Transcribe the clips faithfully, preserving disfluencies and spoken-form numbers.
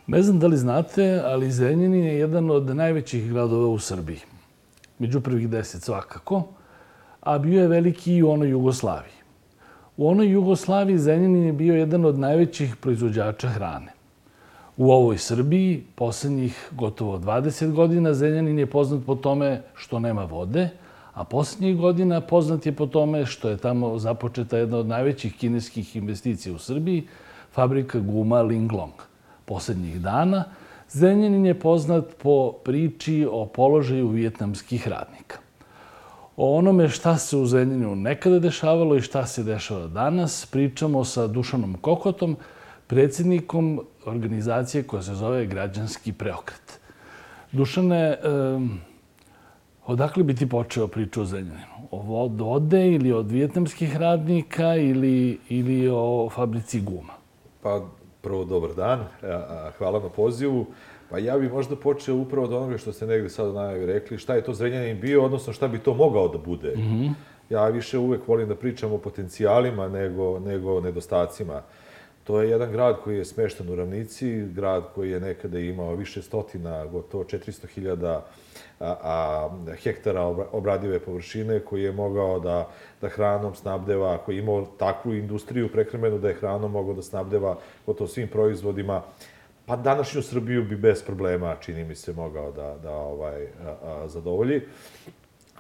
Ne znam da li znate, ali Zrenjanin je jedan od najvećih gradova u Srbiji. Među prvih deset svakako, a bio je veliki i u onoj Jugoslaviji. U onoj Jugoslaviji Zrenjanin je bio jedan od najvećih proizvođača hrane. U ovoj Srbiji, poslednjih gotovo dvadeset godina, Zrenjanin je poznat po tome što nema vode, a poslednjih godina poznat je po tome što je tamo započeta jedna od najvećih kineskih investicija u Srbiji, fabrika guma Linglong. Poslednjih dana Zrenjanin je poznat po priči o položaju vijetnamskih radnika. O onome šta se u Zrenjaninu nekada dešavalo i šta se dešava danas pričamo sa Dušanom Kokotom, predsjednikom organizacije koja se zove Građanski preokret. Dušane, odakle bi ti počeo priču o Zrenjaninu? Od vode ili od vijetnamskih radnika ili, ili o fabrici guma? Pa, prvo, dobar dan. Hvala na pozivu. Pa ja bih možda počeo upravo od onoga što ste negde sad u najavi rekli, šta je to Zrenjanin bio, odnosno šta bi to mogao da bude. Mm-hmm. Ja više uvek volim da pričam o potencijalima nego, nego o nedostacima. To je jedan grad koji je smešten u ravnici, grad koji je nekada imao više stotina, gotovo četiristo hiljada hektara obradive površine, koji je mogao da, da hranom snabdeva, koji je imao takvu industriju prehrambenu da je hranom mogao da snabdeva gotovo svim proizvodima. Pa današnju Srbiju bi bez problema, čini mi se, mogao da, da ovaj, a, a, zadovolji.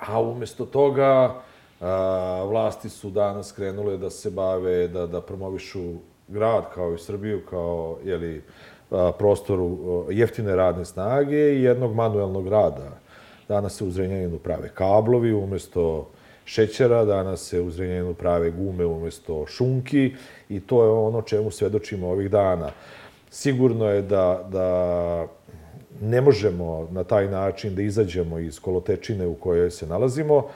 A umesto toga, a, vlasti su danas krenule da se bave, da, da promovišu grad kao i Srbiju, kao jeli, a, prostoru jeftine radne snage i jednog manuelnog rada. Danas se u Zrenjaninu prave kablovi umesto šećera, danas se u Zrenjaninu prave gume umesto šunki i to je ono čemu svedočimo ovih dana. Sigurno je da, da ne možemo na taj način da izađemo iz kolotečine u kojoj se nalazimo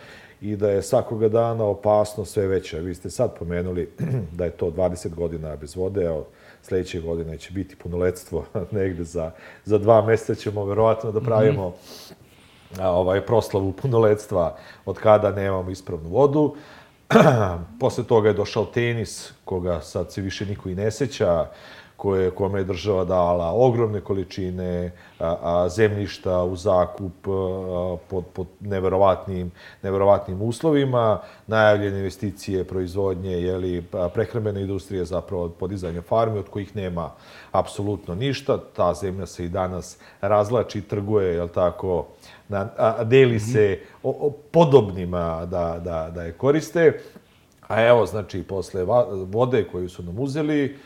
i da je svakoga dana opasnost sve veća. Vi ste sad pomenuli da je to dvadeset godina bez vode, a sledeće godine će biti punoletstvo, negde za, za dva meseca ćemo verovatno da pravimo mm-hmm. ovaj, proslavu punoletstva od kada nemamo ispravnu vodu. Posle toga je došao tenis, koga sad se više niko i ne seća, koje, kome je država dala ogromne količine a, a, zemljišta u zakup a, pod, pod neverovatnim, neverovatnim uslovima, najavljene investicije, proizvodnje, jeli, prehrambene industrije, zapravo podizanja farmi, od kojih nema apsolutno ništa. Ta zemlja se i danas razlači, trguje, jel tako, na, a, deli se o, o podobnima da, da, da je koriste. A evo, znači, posle vode koju su nam uzeli,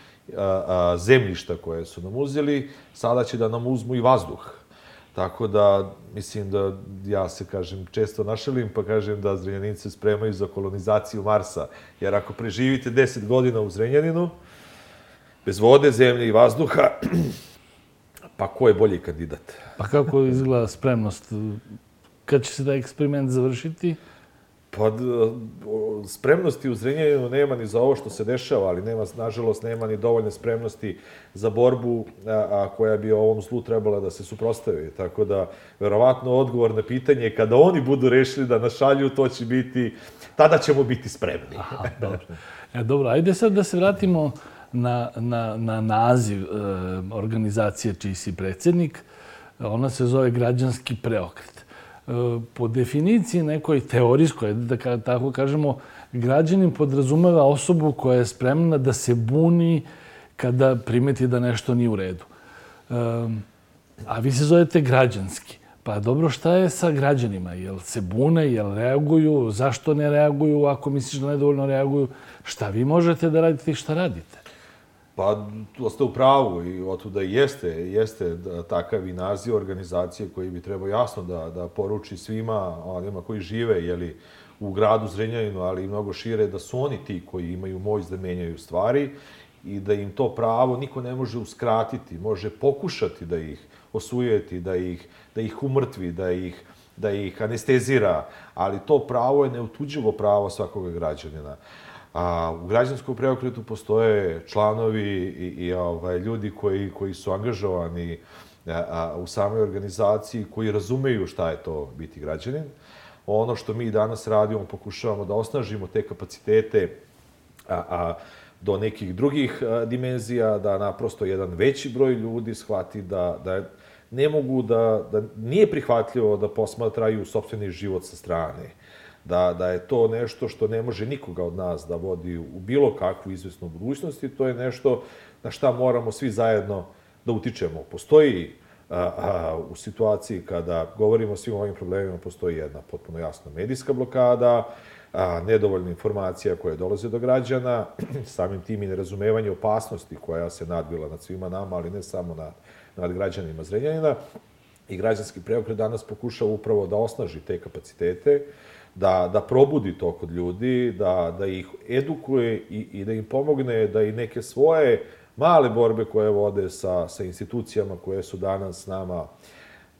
zemljišta koje su nam uzeli, sada će da nam uzmu i vazduh. Tako da, mislim da ja se, kažem, često našalim, pa kažem da Zrenjaninci spremaju za kolonizaciju Marsa. Jer ako preživite deset godina u Zrenjaninu, bez vode, zemlje i vazduha, pa ko je bolji kandidat? Pa kako izgleda spremnost? Kad će se da eksperiment završiti? Pa, spremnosti u Zrenjaninu nema ni za ovo što se dešava, ali nema, nažalost, nema ni dovoljne spremnosti za borbu a, a, koja bi ovom zlu trebala da se suprotstavi. Tako da, verovatno, odgovor na pitanje, kada oni budu rešili da nas šalju, to će biti, tada ćemo biti spremni. Aha, dobro. E, dobro, ajde sad da se vratimo na, na, na naziv e, organizacije čiji si predsjednik. Ona se zove Građanski preokret. Po definiciji nekoj teorijskoj, da tako kažemo, građanin podrazumeva osobu koja je spremna da se buni kada primeti da nešto nije u redu. A vi se zovete građanski. Pa dobro, šta je sa građanima? Jel se bune, jel reaguju? Zašto ne reaguju? Ako misliš da nedovoljno reaguju, šta vi možete da radite i šta radite? Pa, to ste u pravu i otuda jeste, jeste takav i naziv organizacije koji bi trebao jasno da, da poruči svima onima koji žive jeli, u gradu Zrenjaninu, ali i mnogo šire, da su oni ti koji imaju moć da menjaju stvari i da im to pravo niko ne može uskratiti, može pokušati da ih osujeti, da ih, da ih umrtvi, da ih, da ih anestezira, ali to pravo je neotuđivo pravo svakoga građanina. A u građanskom preokretu postoje članovi i, i ovaj, ljudi koji, koji su angažovani a, a, u samoj organizaciji, koji razumeju šta je to biti građanin. Ono što mi danas radimo, pokušavamo da osnažimo te kapacitete, a, a do nekih drugih dimenzija, da naprosto jedan veći broj ljudi shvati da, da ne mogu da, da nije prihvatljivo da posmatraju sopstveni život sa strane. Da, da je to nešto što ne može nikoga od nas da vodi u bilo kakvu izvesnu budućnost i to je nešto na šta moramo svi zajedno da utičemo. Postoji a, a, u situaciji kada govorimo o svim ovim problemima, postoji jedna potpuno jasna medijska blokada, a, nedovoljna informacija koja dolaze do građana, samim tim i nerazumevanje opasnosti koja se nadvila nad svima nama, ali ne samo nad, nad građanima Zrenjanina. I građanski preokret danas pokušava upravo da osnaži te kapacitete, da, da probudi to kod ljudi, da, da ih edukuje i, i da im pomogne da i neke svoje male borbe koje vode sa, sa institucijama koje su danas s nama,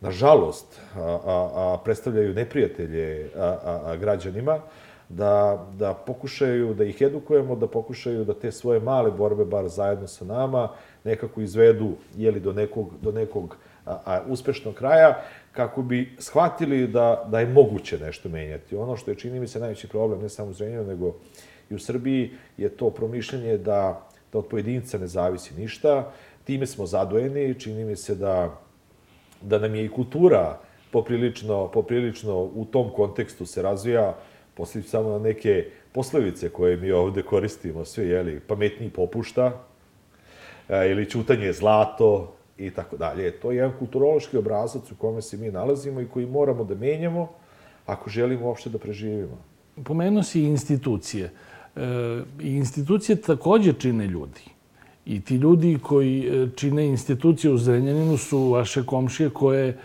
nažalost, a, a, a predstavljaju neprijatelje a, a, a građanima, da, da pokušaju da ih edukujemo, da pokušaju da te svoje male borbe, bar zajedno sa nama, nekako izvedu jeli, do nekog, do nekog a, a, uspešnog kraja, kako bi shvatili da, da je moguće nešto menjati. Ono što je, čini mi se, najveći problem, ne samo u Zrenjaninu, nego i u Srbiji, je to promišljanje da, da od pojedinca ne zavisi ništa. Time smo zadojeni, čini mi se da, da nam je i kultura poprilično, poprilično u tom kontekstu se razvija, posljedično samo na neke poslovice koje mi ovde koristimo, sve, jeli, pametniji popušta, ili ćutanje je zlato, i tako dalje. To je jedan kulturološki obrazac u kome se mi nalazimo i koji moramo da menjamo ako želimo uopšte da preživimo. Pomenuo si institucije. I institucije takođe čine ljudi. I ti ljudi koji čine institucije u Zrenjaninu su vaše komšije koje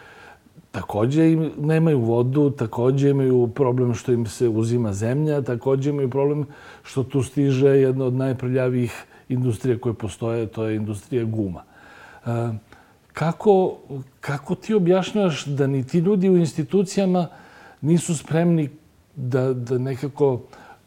takođe nemaju vodu, takođe imaju problem što im se uzima zemlja, takođe imaju problem što tu stiže jedna od najprljavijih industrija koje postoje, to je industrija guma. Kako, kako ti objašnjavaš da ni ti ljudi u institucijama nisu spremni da, da nekako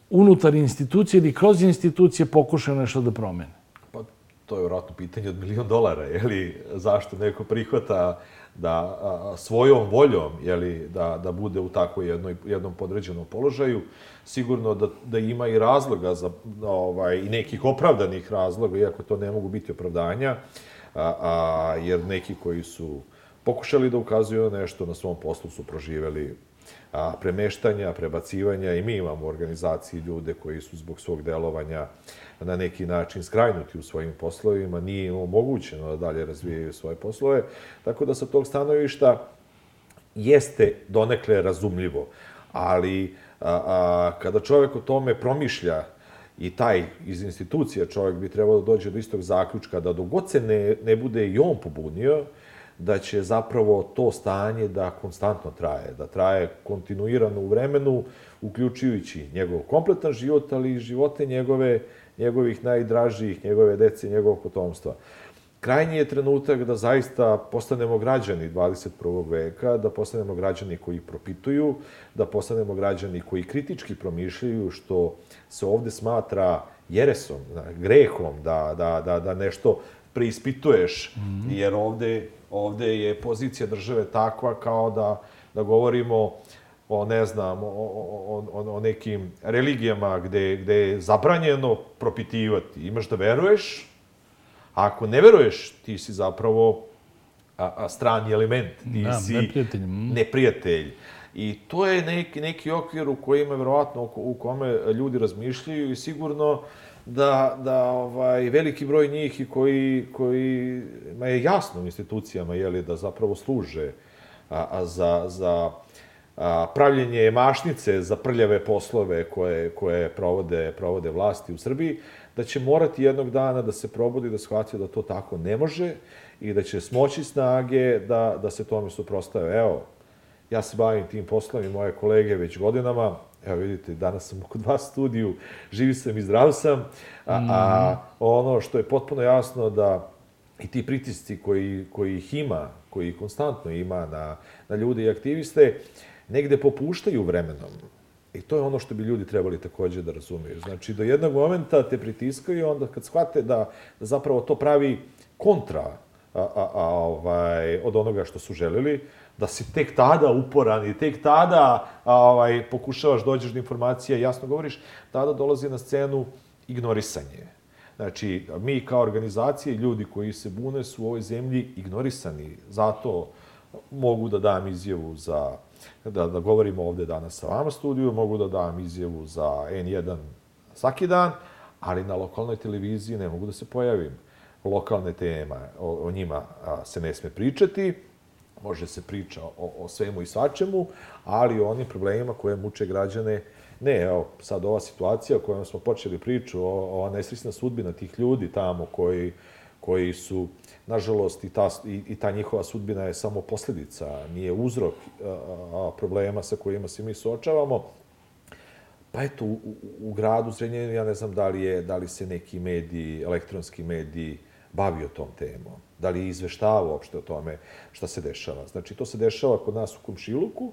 unutar institucije ili kroz institucije pokušaju nešto da promene? Pa, to je vjerojatno pitanje od milion dolara, jeli, zašto neko prihvata da a, svojom voljom, jeli, da, da bude u takvoj jednoj, jednom podređenom položaju. Sigurno da, da ima i razloga, za, ovaj, i nekih opravdanih razloga, iako to ne mogu biti opravdanja, A, a, jer neki koji su pokušali da ukazuju na nešto na svom poslu su proživeli a, premeštanja, prebacivanja i mi imamo u organizaciji ljude koji su zbog svog delovanja na neki način skrajnuti u svojim poslovima, nije im omogućeno da dalje razvijaju svoje poslove, tako da sa tog stanovišta jeste donekle razumljivo, ali a, a, kada čovjek o tome promišlja i taj iz institucija čovjek bi trebao da dođe do istog zaključka da dok god se ne, ne bude i on pobunio, da će zapravo to stanje da konstantno traje, da traje kontinuirano u vremenu, uključujući njegov kompletan život, ali i živote njegove, njegovih najdražijih, njegove dece, njegovog potomstva. Krajnji je trenutak da zaista postanemo građani dvadeset prvog veka, da postanemo građani koji propituju, da postanemo građani koji kritički promišljaju, što se ovde smatra jeresom, grehom, da, da, da, da nešto preispituješ, mm-hmm. jer ovde, ovde je pozicija države takva kao da, da govorimo o, ne znam, o, o, o, o nekim religijama gde, gde je zabranjeno propitivati. Imaš da veruješ, a ako ne veruješ, ti si zapravo a, a, strani element, ti da, si neprijatelj. Mm. neprijatelj. I to je neki, neki okvir u kojima, verovatno, u kome ljudi razmišljaju i sigurno da, da ovaj, veliki broj njih i koji, koji ma je jasno u institucijama, jeli, da zapravo služe a, a za, za a, pravljenje mašnice za prljave poslove koje, koje provode, provode vlasti u Srbiji, da će morati jednog dana da se probudi, da shvati da to tako ne može i da će smoći snage da, da se tome suprostave. Evo, ja se bavim tim poslom i moje kolege već godinama. Evo vidite, danas sam kod vas u studiju, živi sam i zdrav sam. A, a ono što je potpuno jasno da i ti pritisci koji, koji ih ima, koji konstantno ima na, na ljude i aktiviste, negde popuštaju vremenom. I to je ono što bi ljudi trebali takođe da razumiju. Znači, do jednog momenta te pritiskaju, onda kad shvate da, da zapravo to pravi kontra a, a, a, ovaj, od onoga što su želeli, da si tek tada uporan i tek tada a, ovaj, pokušavaš dođeš do informacija, jasno govoriš, tada dolazi na scenu ignorisanje. Znači, mi kao organizacije, ljudi koji se bune su u ovoj zemlji ignorisani. Zato mogu da dam izjavu za, da, da govorimo ovde danas sa vama studiju, mogu da dam izjavu za en jedan svaki dan, ali na lokalnoj televiziji ne mogu da se pojavim. Lokalne teme, o, o njima se ne sme pričati, može se priča o, o svemu i svačemu, ali o onim problemima koje muče građane ne. Evo, sad ova situacija o kojoj smo počeli priču, ova nesrećna sudbina tih ljudi tamo koji, koji su, nažalost, i ta, i, i ta njihova sudbina je samo posljedica, nije uzrok a, a, problema sa kojima se mi suočavamo. Pa eto, u, u, u gradu Zrenjaninu, ja ne znam da li, je, da li se neki mediji, elektronski mediji, bavio tom temom, da li je izveštavao uopšte o tome šta se dešava. Znači, to se dešava kod nas u komšiluku,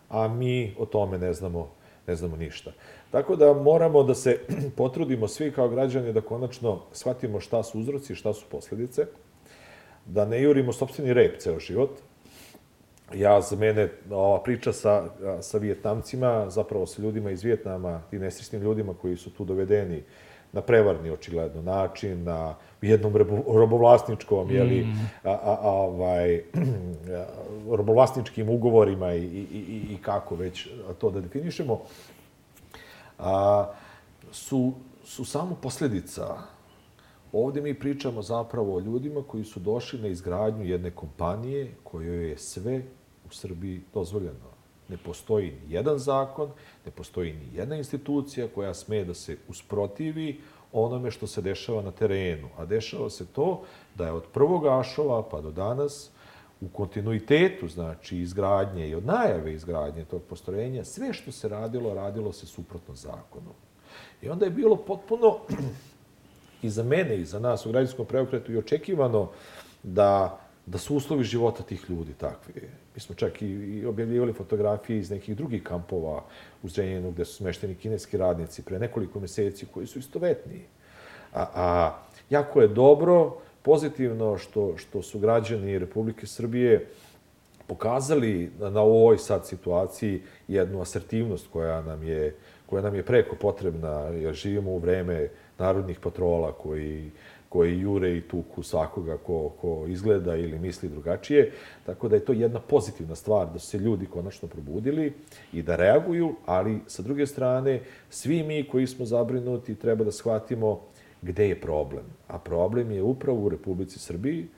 a mi o tome ne znamo, ne znamo ništa. Tako da moramo da se potrudimo svi kao građani da konačno shvatimo šta su uzroci, šta su posljedice, da ne jurimo sopstveni rep ceo život. Ja, za mene, ova priča sa, sa Vijetnamcima, zapravo sa ljudima iz Vijetnama, ti nesrećnim ljudima koji su tu dovedeni na prevarni, očigledno, način, na jednom robovlasničkom, jeli, a, a, a, ovaj, robovlasničkim ugovorima i, i, i, i kako već to da definišemo, a, su, su samo posljedica. Ovdje mi pričamo zapravo o ljudima koji su došli na izgradnju jedne kompanije kojoj je sve u Srbiji dozvoljeno. Ne postoji ni jedan zakon, ne postoji ni jedna institucija koja sme da se usprotivi onome što se dešava na terenu. A dešava se to da je od prvog Ašova pa do danas u kontinuitetu, znači izgradnje i od najave izgradnje tog postrojenja, sve što se radilo, radilo se suprotno zakonu. I onda je bilo potpuno i za mene i za nas u građanskom preokretu i očekivano da, da su uslovi života tih ljudi takvi. Mi smo čak i, i objavljivali fotografije iz nekih drugih kampova u Zrenjaninu gde su smešteni kineski radnici pre nekoliko meseci koji su istovetni. A, a jako je dobro, pozitivno što, što su građani Republike Srbije pokazali na, na ovoj sad situaciji jednu asertivnost koja nam je, koja nam je preko potrebna, jer živimo u vreme narodnih patrola koji, koji jure i tuku svakoga ko, ko izgleda ili misli drugačije. Tako da je to jedna pozitivna stvar da su se ljudi konačno probudili i da reaguju, ali sa druge strane svi mi koji smo zabrinuti treba da shvatimo gde je problem. A problem je upravo u Republici Srbiji,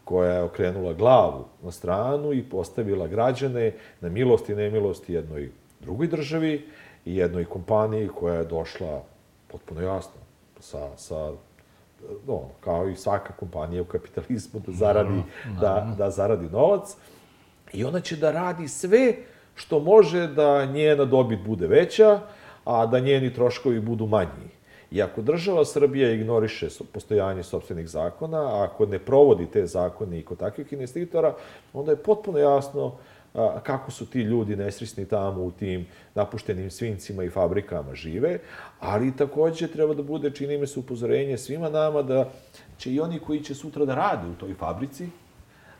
koja je okrenula glavu na stranu i postavila građane na milost i nemilost jednoj drugoj državi i jednoj kompaniji koja je došla potpuno jasno sa, sa no, kao i svaka kompanija u kapitalizmu da zaradi, da, da zaradi novac. I ona će da radi sve što može da njena dobit bude veća, a da njeni troškovi budu manji. I ako država Srbija ignoriše postojanje sopstvenih zakona, a ako ne provodi te zakone i kod takvih investitora, onda je potpuno jasno kako su ti ljudi nesrećni tamo u tim napuštenim svincima i fabrikama žive, ali također treba da bude, čini mi se, upozorenje svima nama da će i oni koji će sutra da rade u toj fabrici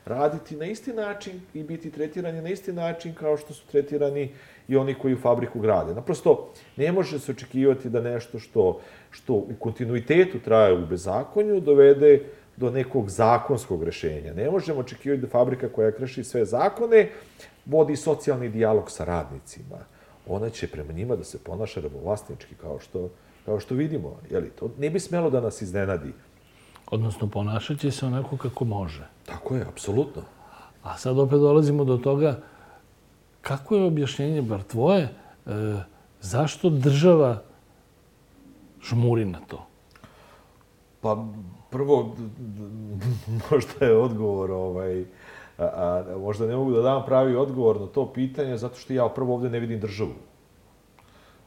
raditi na isti način i biti tretirani na isti način kao što su tretirani i oni koji u fabriku grade. Naprosto, ne može se očekivati da nešto što, što u kontinuitetu traje u bezakonju dovede do nekog zakonskog rešenja. Ne možemo očekivati da fabrika koja kreši sve zakone vodi socijalni dijalog sa radnicima. Ona će prema njima da se ponaša robovlasnički, kao što, kao što vidimo. Jeli, to ne bi smelo da nas iznenadi. Odnosno, ponašat će se onako kako može. Tako je, apsolutno. A sad opet dolazimo do toga kako je objašnjenje, bar tvoje, e, zašto država žmuri na to? Pa, prvo, možda je odgovor, ovaj, a, a, možda ne mogu da dam pravi odgovor na to pitanje, zato što ja prvo ovdje ne vidim državu.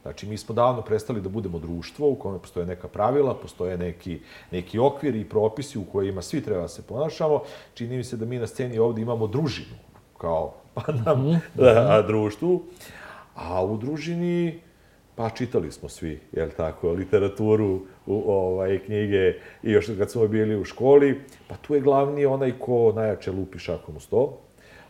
Znači, mi smo davno prestali da budemo društvo u kome postoje neka pravila, postoje neki, neki okviri i propisi u kojima svi treba da se ponašamo. Čini mi se da mi na sceni ovdje imamo družinu, kao pa nam mm -hmm. društvu. A u družini, pa čitali smo svi, jel tako, literaturu, u, ovaj, knjige i još kad smo bili u školi, pa tu je glavni onaj ko najjače lupi šakom u sto.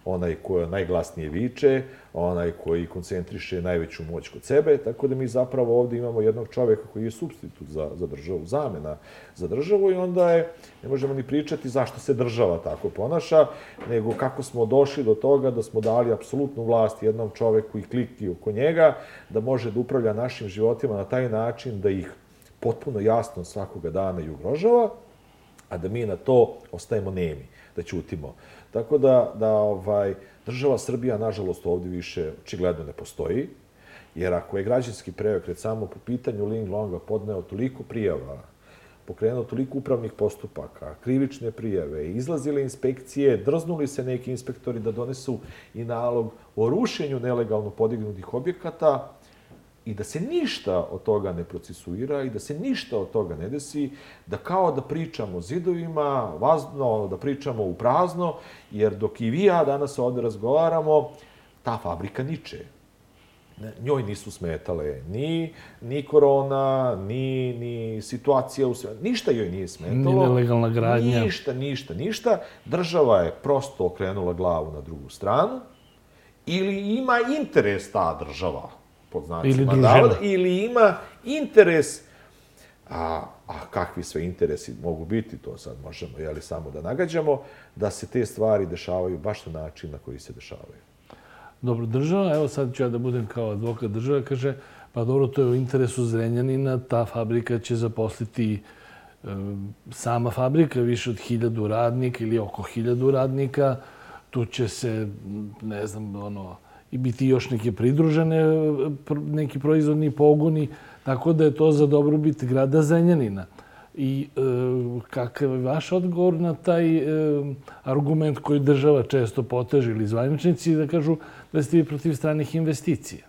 onaj koji najglasnije viče, onaj koji koncentriše najveću moć kod sebe, tako da mi zapravo ovdje imamo jednog čovjeka koji je supstitut za, za državu, zamena za državu i onda je, ne možemo ni pričati zašto se država tako ponaša, nego kako smo došli do toga da smo dali apsolutnu vlast jednom čovjeku i kliki oko njega, da može da upravlja našim životima na taj način da ih potpuno jasno svakoga dana i ugrožava, a da mi na to ostajemo nemi, da ćutimo. Tako da, da ovaj, država Srbija, nažalost, ovdje više očigledno ne postoji, jer ako je građanski preokret samo po pitanju Ling Longa podneo toliko prijava, pokrenuo toliko upravnih postupaka, krivične prijave, izlazile inspekcije, drznuli se neki inspektori da donesu i nalog o rušenju nelegalno podignutih objekata, i da se ništa od toga ne procesuira i da se ništa od toga ne desi, da kao da pričamo o zidovima, vazno, da pričamo u prazno, jer dok i vi ja danas ovdje razgovaramo, ta fabrika niče. Njoj nisu smetale ni, ni korona, ni, ni situacija u svetu. Ništa joj nije smetalo. Ni nelegalna gradnja. Ništa, ništa, ništa. Država je prosto okrenula glavu na drugu stranu ili ima interes ta država, pod znacima navoda, ili ima interes, a, a kakvi sve interesi mogu biti, to sad možemo jeli, samo da nagađamo, da se te stvari dešavaju baš na način na koji se dešavaju. Dobro, država, evo sad ću ja da budem kao advokat države, kaže, pa dobro, to je u interesu Zrenjanina, ta fabrika će zaposliti e, sama fabrika, više od hiljadu radnika ili oko hiljadu radnika, tu će se, ne znam, ono, i biti još neke pridružene, neki proizvodni pogoni, tako da je to za dobrobit grada Zrenjanina. I e, kakav je vaš odgovor na taj e, argument koji država često poteže ili zvaničnici da kažu da ste vi protiv stranih investicija?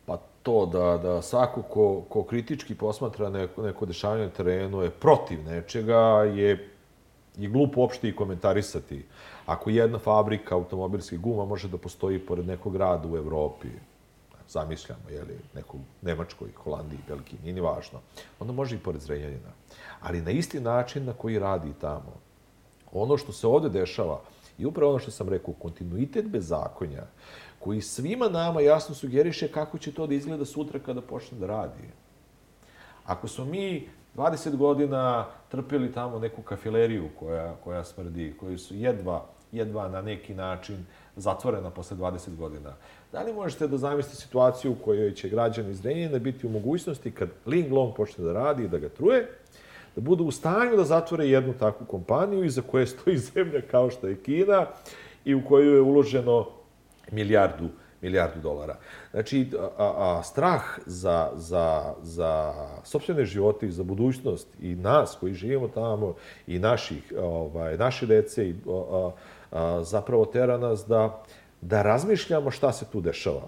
Pa to da, da svako ko, ko kritički posmatra neko, neko dešavanje na terenu je protiv nečega, je, je glupo uopšte i komentarisati. Ako jedna fabrika automobilskih guma može da postoji pored nekog grada u Evropi, zamišljamo, je li, nekog Nemačkoj, Holandiji, Belgiji, nije ni važno, onda može i pored Zrenjanina. Ali na isti način na koji radi tamo. Ono što se ovdje dešava, i upravo ono što sam rekao, kontinuitet bezakonja, koji svima nama jasno sugeriše kako će to da izgleda sutra kada počne da radi. Ako smo mi dvadeset godina trpili tamo neku kafileriju koja, koja smrdi, koji su jedva, jedva na neki način zatvorena posle dvadeset godina. Da li možete da zamislite situaciju u kojoj će građani iz Zrenjanina biti u mogućnosti kad Ling Long počne da radi i da ga truje, da budu u stanju da zatvore jednu takvu kompaniju iza koje stoji zemlja kao što je Kina i u koju je uloženo milijardu, milijardu dolara. Znači, a, a, strah za, za, za sopstvene živote i za budućnost i nas koji živimo tamo i naših, ovaj, naše dece i a, a, zapravo tera nas da, da razmišljamo šta se tu dešava.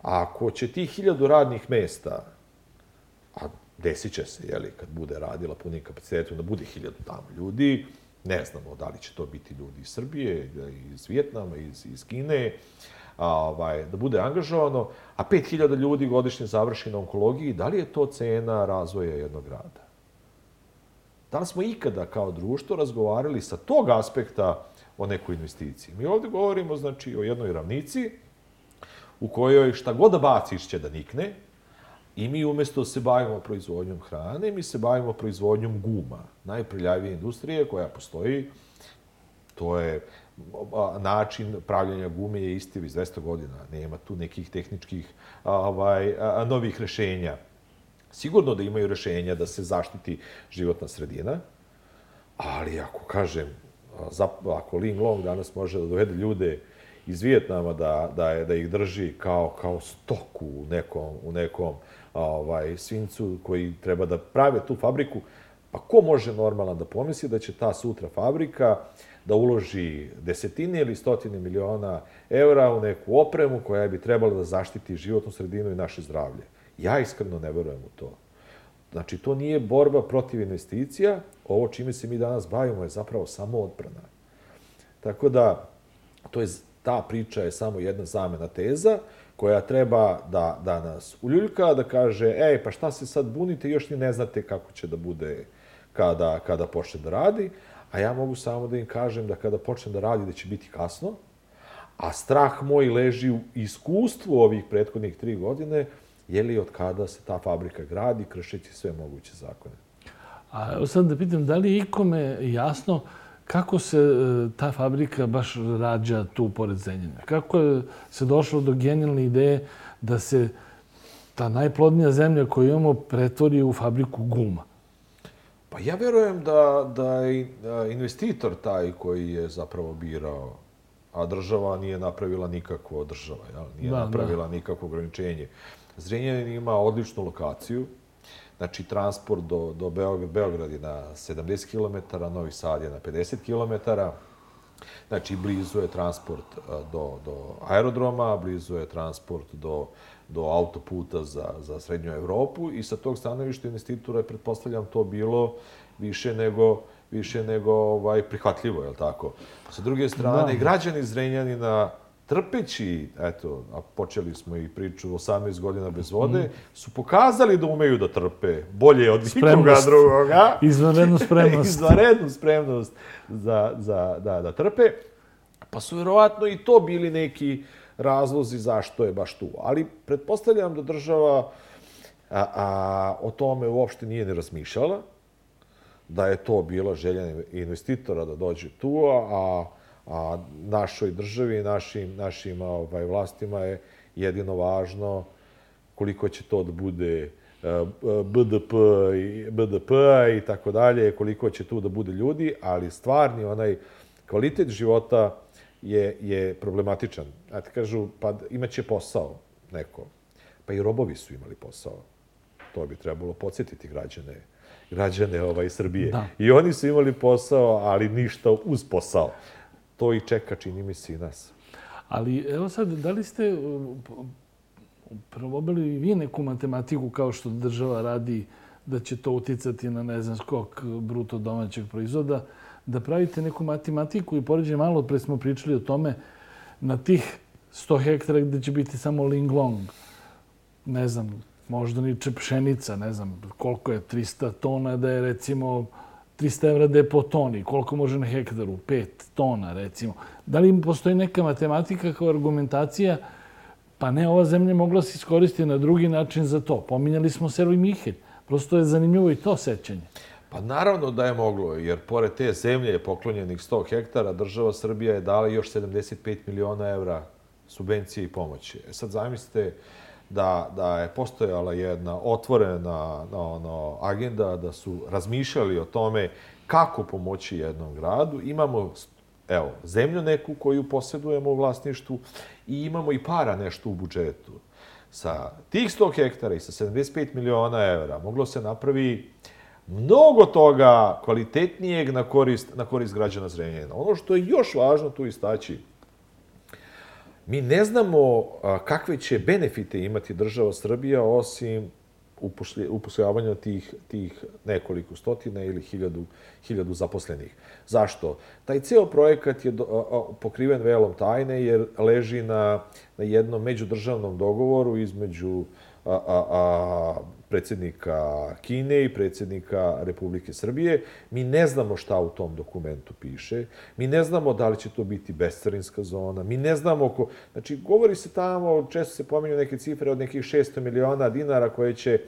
A ako će tih hiljadu radnih mesta, a desit će se, jeli, kad bude radila punim kapacitetom, da bude hiljadu tamo ljudi, ne znamo da li će to biti ljudi iz Srbije, iz Vijetnama, iz, iz Kine, a, ovaj, da bude angažovano, a pet hiljada ljudi godišnje završi na onkologiji, da li je to cena razvoja jednog grada? Da li smo ikada kao društvo razgovarali sa tog aspekta o nekoj investiciji? Mi ovdje govorimo, znači, o jednoj ravnici u kojoj šta god da baciš će da nikne, i mi umjesto da se bavimo proizvodnjom hrane, mi se bavimo proizvodnjom guma. Najprljavije industrije koja postoji, to je način pravljenja gume je isti iz dvesta godina. Nema tu nekih tehničkih ovaj, novih rešenja. Sigurno da imaju rešenja da se zaštiti životna sredina, ali ako kažem, ako Ling Long danas može da dovede ljude iz Vijetnama da, da, da ih drži kao, kao stoku u nekom, u nekom ovaj, svincu koji treba da prave tu fabriku, pa ko može normalno da pomisli da će ta sutra fabrika da uloži desetine ili stotine miliona eura u neku opremu koja bi trebala da zaštiti životnu sredinu i naše zdravlje? Ja iskreno ne verujem u to. Znači, to nije borba protiv investicija. Ovo čime se mi danas bavimo je zapravo samo odbrana. Tako da, to je, ta priča je samo jedna zamena teza koja treba da, da nas uljuljka, da kaže, ej, pa šta se sad bunite, još ni ne znate kako će da bude kada, kada počne da radi. A ja mogu samo da im kažem da kada počne da radi da će biti kasno, A strah moj leži u iskustvu ovih prethodnih tri godine, je li od kada se ta fabrika gradi, kršeći sve moguće zakone. A evo sad da pitam, da li je ikome jasno kako se ta fabrika baš rađa tu pored Zrenjanina? Kako je se došlo do genijalne ideje da se ta najplodnija zemlja koju imamo pretvori u fabriku guma? Pa ja verujem da, da je investitor taj koji je zapravo birao, a država nije napravila nikakvo država, jel? Nije da, napravila da. nikakvo ograničenje. Zrenjanin ima odličnu lokaciju, znači transport do, do Beograd, Beograd je na sedamdeset kilometara, Novi Sad je na pedeset kilometara, znači blizu je transport do, do aerodroma, blizu je transport do, do autoputa za, za Srednju Evropu i sa tog stanovišta investitora je, pretpostavljam, to bilo više nego, više nego ovaj, prihvatljivo, je li tako? Sa druge strane, da. Građani Zrenjanina, trpeći, eto, a počeli smo i priču osamnaest godina bez vode, mm. su pokazali da umeju da trpe bolje od nikoga drugoga. Izvanrednu spremnost. Izvanrednu spremnost za, za, da, da trpe. Pa su vjerovatno i to bili neki razlozi zašto je baš tu. Ali pretpostavljam da država a, a, o tome uopšte nije ni razmišljala, da je to bila želja investitora da dođe tu, a a našoj državi i našim, našim ovaj, vlastima je jedino važno koliko će to da bude B D P i B D P i tako dalje, koliko će tu da bude ljudi, ali stvarni onaj kvalitet života je, je problematičan. A ti kažu, pa imaće posao neko. Pa i robovi su imali posao. To bi trebalo podsjetiti građane, građane ovaj, Srbije. Da. I oni su imali posao, ali ništa uz posao. To i čeka, čini mi se, i nas. Ali evo sad, da li ste probali vi neku matematiku kao što država radi da će to uticati na, ne znam, skok bruto domaćeg proizvoda, da pravite neku matematiku i poređenje, malo pre smo pričali o tome, na tih sto hektara gde će biti samo linglong, ne znam, možda niče pšenica, ne znam koliko je, trista tona da je recimo trista evra da je po toni, koliko može na hektaru, pet tona recimo. Da li im postoji neka matematika kao argumentacija, pa ne, ova zemlja mogla se iskoristiti na drugi način za to. Pominjali smo Selo i Mihelj. Prosto je zanimljivo i to sećanje. Pa naravno da je moglo, jer pored te zemlje poklonjenih sto hektara, država Srbija je dala još sedamdeset pet miliona evra subvencije i pomoći. E sad zamislite da, da je postojala jedna otvorena na, ono, agenda, da su razmišljali o tome kako pomoći jednom gradu. Imamo, evo, zemlju neku koju posjedujemo u vlasništvu i imamo i para nešto u budžetu. Sa tih sto hektara i sa sedamdeset pet miliona evra moglo se napravi mnogo toga kvalitetnijeg na korist, na korist građana Zrenjanina. Ono što je još važno tu istaći, mi ne znamo kakve će benefite imati država Srbija osim upošljavanja tih, tih nekoliko stotina ili hiljadu, hiljadu zaposlenih. Zašto? Taj ceo projekat je pokriven velom tajne jer leži na, na jednom međudržavnom dogovoru između a, a, a, predsjednika Kine i predsjednika Republike Srbije. Mi ne znamo šta u tom dokumentu piše. Mi ne znamo da li će to biti bescarinska zona. Mi ne znamo ko... Znači, govori se tamo, često se pominju neke cifre od nekih šesto miliona dinara koje će,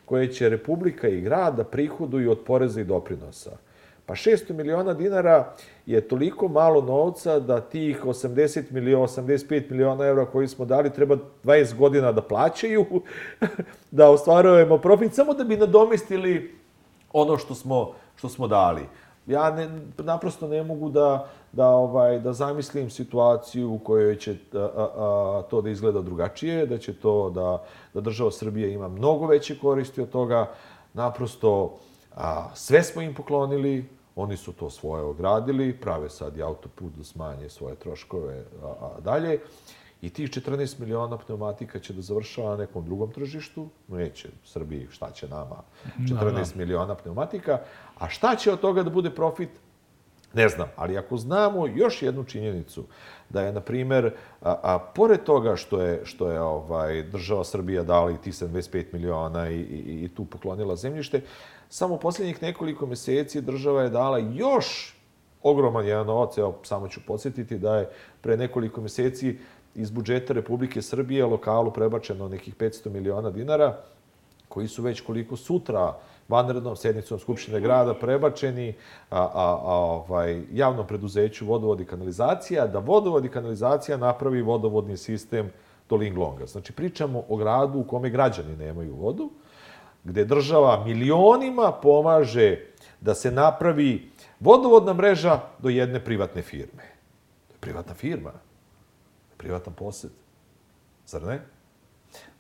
koje će Republika i grad da prihoduju od poreza i doprinosa. Pa šesto miliona dinara je toliko malo novca da tih osamdeset miliona, osamdeset pet miliona evra koji smo dali treba dvadeset godina da plaćaju, da ostvarujemo profit, samo da bi nadomestili ono što smo, što smo dali. Ja ne, naprosto ne mogu da, da, ovaj, da zamislim situaciju u kojoj će a, a, a, to da izgleda drugačije, da će to da, da država Srbija ima mnogo veće koristi od toga. Naprosto a, sve smo im poklonili, oni su to svoje ogradili, prave sad i autoput da smanje svoje troškove a, a dalje. I tih četrnaest miliona pneumatika će da završava na nekom drugom tržištu. Neće Srbiji, šta će nama četrnaest miliona pneumatika. A šta će od toga da bude profit? Ne znam. Ali ako znamo još jednu činjenicu, da je, na primjer, a, a pored toga što je, što je ovaj, država Srbija dala i tih sedamdeset pet miliona i, i, i tu poklonila zemljište, samo posljednjih nekoliko meseci država je dala još ogroman jedan novac. Evo, samo ću podsjetiti da je pre nekoliko mjeseci iz budžeta Republike Srbije lokalu prebačeno nekih petsto miliona dinara, koji su već koliko sutra vanrednom sednicom Skupštine grada prebačeni a, a, a, ovaj, javnom preduzeću Vodovod i kanalizacija, da Vodovod i kanalizacija napravi vodovodni sistem do Linglonga. Znači, pričamo o gradu u kome građani nemaju vodu, gde država milionima pomaže da se napravi vodovodna mreža do jedne privatne firme. To je privatna firma, privatan posed. Zar ne?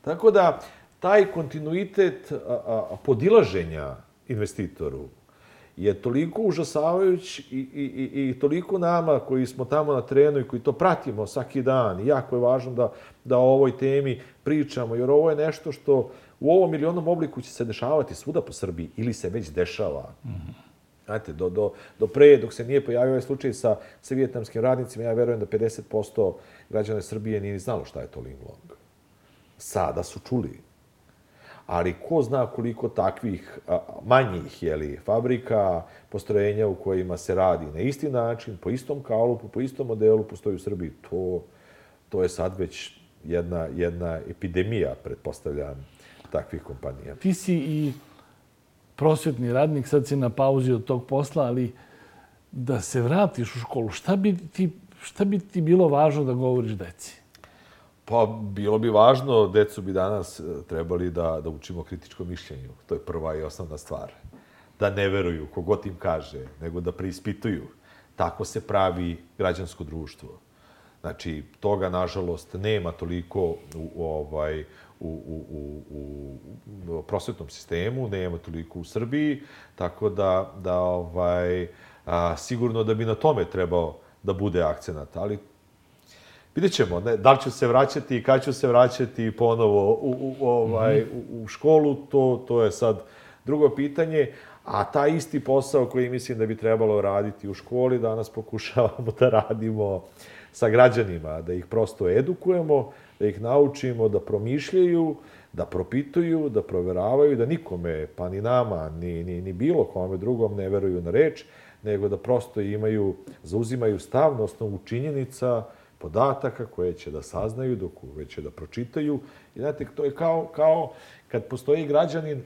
Tako da, taj kontinuitet a, a, podilaženja investitoru je toliko užasavajuć i, i, i, i toliko nama koji smo tamo na terenu i koji to pratimo svaki dan. I jako je važno da, da o ovoj temi pričamo, jer ovo je nešto što u ovom milionom obliku će se dešavati svuda po Srbiji ili se već dešava. Mm-hmm. Znate, do, do, do pre, dok se nije pojavio ovaj slučaj sa, sa vijetnamskim radnicima, ja verujem da pedeset posto građana Srbije nije ni znalo šta je to Linglong. Sada su čuli. Ali ko zna koliko takvih a, manjih jeli, fabrika, postrojenja u kojima se radi na isti način, po istom kalupu, po istom modelu postoji u Srbiji. To, to je sad već jedna, jedna epidemija, pretpostavljam, takvih kompanija. Ti si i prosvjetni radnik, sad si na pauzi od tog posla, ali da se vratiš u školu, šta bi ti, šta bi ti bilo važno da govoriš deci? Pa, bilo bi važno, decu bi danas trebali da, da učimo kritičko mišljenju. To je prva i osnovna stvar. Da ne veruju kogod im kaže, nego da preispituju. Tako se pravi građansko društvo. Znači, toga, nažalost, nema toliko u, u, ovaj, u, u, u, u prosvetnom sistemu, nema toliko u Srbiji, tako da, da ovaj, a, sigurno da bi na tome trebao da bude akcenat. Ali vidjet ćemo, ne, da li ću se vraćati i kad ću se vraćati ponovo u, u, ovaj, u, u školu, to, to je sad drugo pitanje. A taj isti posao koji mislim da bi trebalo raditi u školi, danas pokušavamo da radimo sa građanima, da ih prosto edukujemo, da ih naučimo da promišljaju, da propituju, da proveravaju, da nikome, pa ni nama, ni, ni, ni bilo kome drugom ne veruju na reč, nego da prosto imaju, zauzimaju stav na osnovu činjenica, podataka koje će da saznaju, dok koje će da pročitaju. I znate, to je kao, kao kad postoji građanin,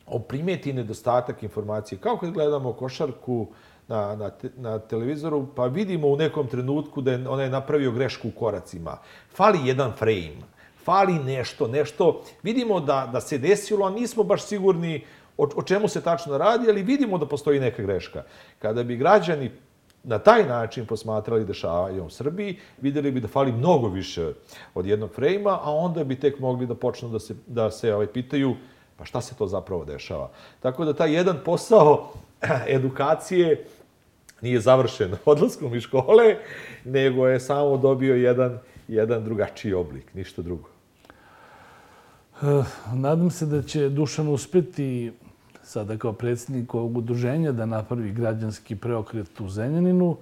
on primeti nedostatak informacije. Kao kad gledamo košarku na, na, te, na televizoru, pa vidimo u nekom trenutku da je onaj napravio grešku u koracima. Fali jedan frame, fali nešto, nešto. Vidimo da, da se desilo, a nismo baš sigurni o, o čemu se tačno radi, ali vidimo da postoji neka greška. Kada bi građani na taj način posmatrali dešavanja u Srbiji, vidjeli bi da fali mnogo više od jednog frejma, a onda bi tek mogli da počnu da se, da se ovaj, pitaju pa šta se to zapravo dešava. Tako da taj jedan posao edukacije nije završen odlaskom iz škole, nego je samo dobio jedan, jedan drugačiji oblik, ništa drugo. Nadam se da će Dušan uspeti sada kao predsjednik ovog udruženja da napravi građanski preokret u Zrenjaninu,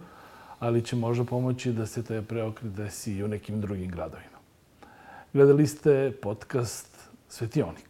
ali će možda pomoći da se taj preokret desi i u nekim drugim gradovima. Gledali ste podcast Svetionik.